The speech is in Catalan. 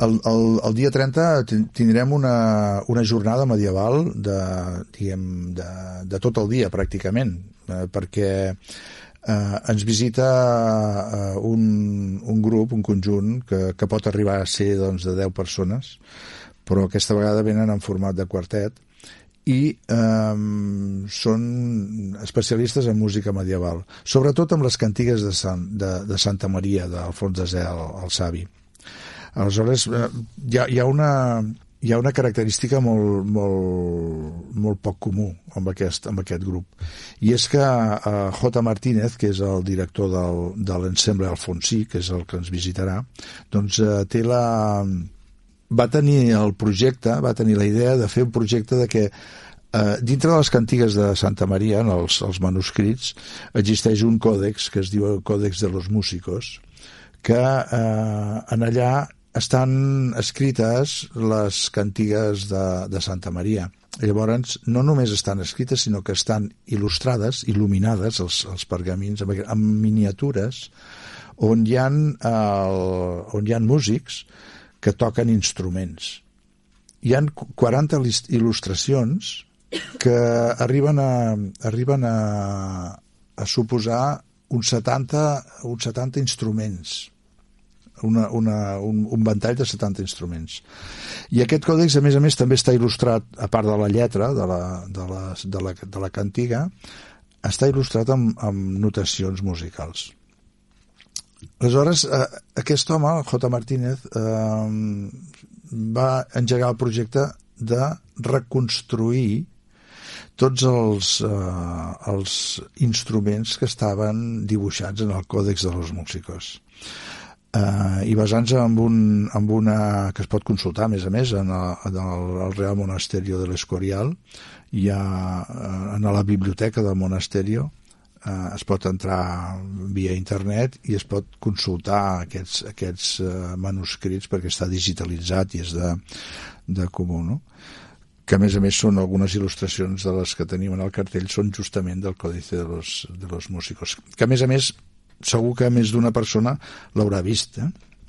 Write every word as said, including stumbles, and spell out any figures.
El, el, el dia trenta tindrem una, una jornada medieval de, diguem, de, de tot el dia, pràcticament, eh, perquè eh, ens visita eh, un, un grup, un conjunt, que, que pot arribar a ser doncs, de deu persones, però aquesta vegada venen en format de quartet, i eh, són especialistes en música medieval, sobretot amb les cantigues de, Sant, de, de Santa Maria, d'Alfons Desè, el, el savi. Aleshores, hi ha, hi ha, una, hi ha una característica molt, molt, molt poc comú amb aquest, amb aquest grup, i és que uh, J. Martínez, que és el director del, de l'Ensemble Alfonsí, que és el que ens visitarà, doncs uh, té la... va tenir el projecte, va tenir la idea de fer un projecte de que uh, dintre de les cantigues de Santa Maria, en els, els manuscrits, existeix un còdex que es diu el Còdex de los Músicos, que uh, en allà estan escrites les cantigues de, de Santa Maria. Llavors, no només estan escrites, sinó que estan il·lustrades, il·luminades, els, els pergamins, amb, amb miniatures, on hi ha, el, on hi ha músics que toquen instruments. Hi ha quaranta il·lustracions que arriben a, arriben a, a suposar uns setanta, uns setanta instruments. Una, una, un, un ventall de setanta instruments. I aquest còdex, a més a més, també està il·lustrat, a part de la lletra de la, de la, de la, de la cantiga, està il·lustrat amb, amb notacions musicals. Aleshores, eh, aquest home, J. Martínez, eh, va engegar el projecte de reconstruir tots els, eh, els instruments que estaven dibuixats en el Còdex de los Músicos. Uh, i basant-se en, un, en una que es pot consultar a més a més en el, en el Real Monasterio de l'Escorial, hi ha uh, en la biblioteca del Monasterio, uh, es pot entrar via internet i es pot consultar aquests, aquests uh, manuscrits, perquè està digitalitzat i és de, de comú, no? Que a més a més són algunes il·lustracions de les que tenim en el cartell, són justament del Còdice de los, de los Músicos, que a més a més segur que més d'una persona l'haurà vist, eh?